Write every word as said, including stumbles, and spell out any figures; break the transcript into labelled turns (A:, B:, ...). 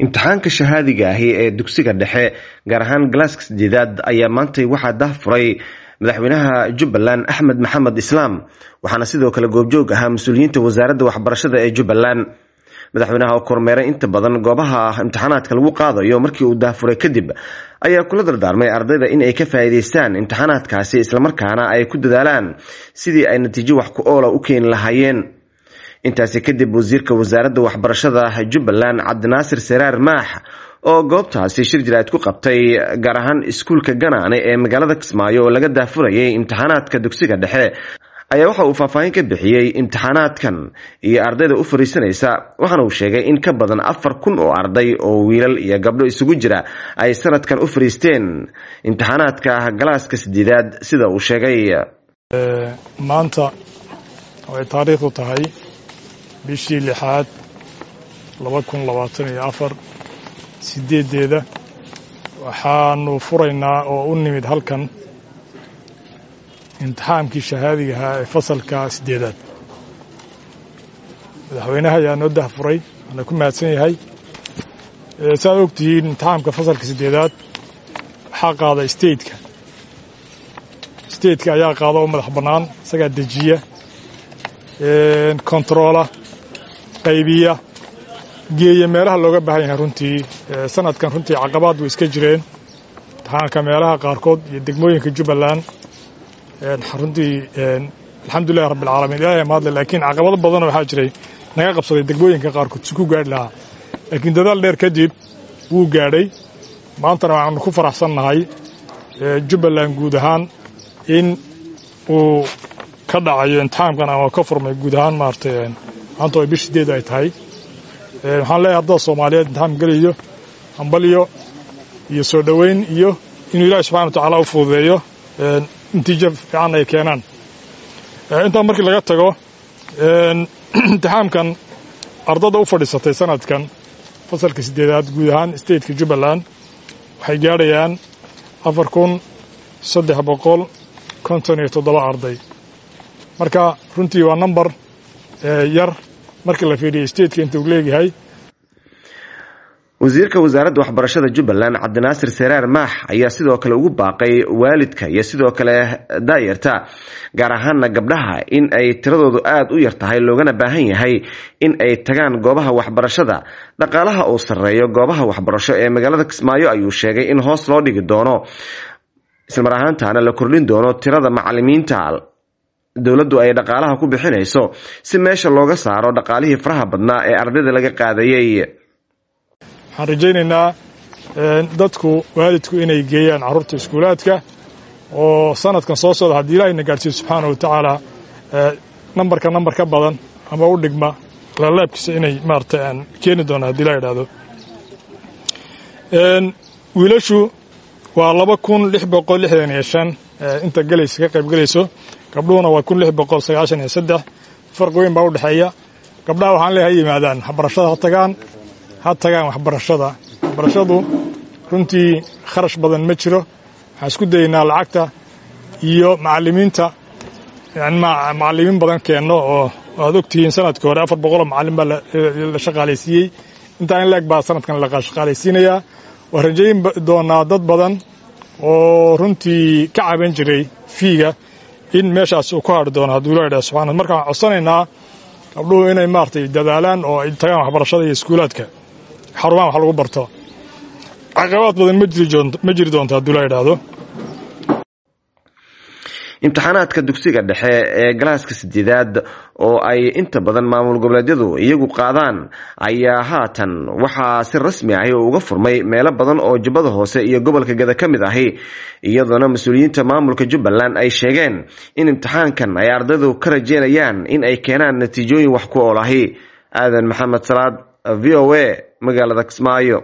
A: Imtixaanka shahaadiga ahi ee dugsiga dhexe, gaar ahaan galaaska sideedaad, ayaa maantay waxaa daahfuray madaxweynaha Jubbaland Axmed Maxamed Islaam, waxaana sidoo kale goobjoog ahaa mas-uuliyiinta wasaaradda waxbarashada ee Jubbaland. Madaxweynaha oo kormeeray inta badan goobaha imtixaanaadka lagu qaadayo markii uu daahfuray kadib ayaa kula dardaarmay ardayda in ay ka faa'iidaystaan imtixaanaadkaasi, islamarkaana ay ku dadaalaan sidii ay natiijo wax ku oola u keeni lahaayeen. Intaasi kadib, wasiirka wasaaradda waxbarashada Jubbaland Cabdinaasir Seraar Maax oo goobtaasi shir jiraad ku qabtay, gaar ahaan iskuulka Ganaane ee magaalada Kismaayo oo laga daahfurayay imtixaanaadka dugsiga dhexe, ayaa waxa uu faahfaahin ka bixiyey imtixaanaadkan iyo ardayda u fariisanaysa, waxaana uu sheegay in ka badan afar kun oo arday oo wiilal iyo gabdho isugu jira ay sanadkan u fariisteen imtixaanaadka galaaska sideedaad, sida uu sheegay.
B: Maanta oo ay taariikhdu tahay bishii lixaad laba kun labaatan iyo afar sideeddeeda, waxaanu furaynaa oo u nimid halkan imtixaankii shahaadiga ahaa ee fasalka sideedaad. Madaxweynaha ayaa noo dahfuray, waana ku mahadsan yahay. Saaad og tihiin, imtixaamka fasalka sideedaad waxaa qaada stateka. Stateka ayaa qaada oo madax bannaan, isagaa dejiya, kontaroola, qaybiya, geeya meelaha looga baahan yahay. Runtii sanadkan runtii caqabaad way iska jireen imtixaanka meelaha qaarkood iyo degmooyinka Jubbaland. Runtii alxamdulilahi rabbi alcaalamiin, Ilahay mahadle, laakiin caqabado badanoo waxaa jiray naga qabsaday degmooyinka qaarkood si ku gaadhi lahaa, laakiin dadaal dheer kadib wuu gaadhay. Maantana waxaanu ku faraxsannahay Jubbaland guud ahaan in uu ka dhacayo imtixaamkan ama ka furmay guud ahaan maaragtay maanta oo bish sideed ay tahay. Waxaan leeyahay ardada Soomaaliyeed imtixaam gelayo hambalyo iyo soo dhoweyn, iyo inuu Ilahi subxana wa tacaala u fududeeyo, natiijo fiican ay keenaan. Intaa markii laga tago, imtixaamkan ardada u fadhiisatay sanadkan fasalka sideedaad guud ahaan stateka Jubbaland waxay gaadhayaan afar kun saddex boqol konton iyo toddoba arday. Marka runtii waa number yar markii la fiiriyo stateka inta uu leeyahay.
A: Wasiirka wasaaradda waxbarashada Jubbaland Cabdinaasir Seraar Maax ayaa sidoo kale ugu baaqay waalidka iyo sidoo kale daayarta, gaar ahaana gabdhaha, in ay tiradoodu aada u yar tahay, loogana baahan yahay in ay tagaan goobaha waxbarashada. Dhaqaalaha uu sarreeyo goobaha waxbarasho ee magaalada Kismaayo ayuu sheegay in hoos loo dhigi doono, islamar ahaantaana la kordhin doono tirada macalimiinta dowladdu ay dhaqaalaha ku bixinayso, si meesha looga saaro dhaqaalihii faraha badnaa ee ardayda laga qaadayay.
B: Waxaan rajaynaynaa dadku, waalidku, inay geeyaan carruurta iskuulaadka oo sanadkan soo socda, haddii Ilahayna gaadhsiiyo subxaana wa tacaala, nambarka nambar ka badan ama u dhigma laalaabkiisa inay maaragtay aan keeni doono haddii la yidhaahdo. Wiilashu waa laba kun lix boqol lixdan iyo shan inta gelaysa, ka qayb gelayso. Gabdhuhuna waa kun lix boqol sagaashan iyo saddex. Farqi weyn baa u dhexeeya. Gabdhaha waxaan leeyahay ha yimaadaan waxbarashada, ha tagaan, ha tagaan waxbarashada. Waxbarashadu runtii kharash badan ma jiro. Waxaan isku dayeynaa lacagta iyo macallimiinta, macallimiin badan keenno, oo aad ogtihiin sanadkii hore afar boqoloo macallin baa la shaqaalaysiiyey. Intaa in laeg baa sanadkan la shaqaalaysiinayaa. Waan rajayn doonaa dad badan oo runtii ka caban jiray fiiga in meeshaas uu ku hadhi doono hadduu la yidhaha subxana. Marka waxaan codsanaynaa gabdhuhu inay maaragtay dadaalaan oo ay tagaan waxbarashada iyo iskuulaadka, xarumaha wax lagu barto. Caqabaad badan ma jiri ma jiri doonto hadduu la yidhaahdo.
A: Imtixaanaadka dugsiga dhexe ee galaaska sideedaad oo ay inta badan maamul goboleedyadu iyagu qaadaan ayaa haatan waxaa si rasmi ahi uga furmay meelo badan oo Jubbada Hoose iyo gobolka Gada ka mid ahi, iyadoona mas-uuliyiinta maamulka Jubbaland ay sheegeen in imtixaankan ay ardaydu ka rajeynayaan in ay keenaan natiijooyin wax ku ool ahi. Aadan Maxamed Salaad, V O A, magaalada Kismaayo.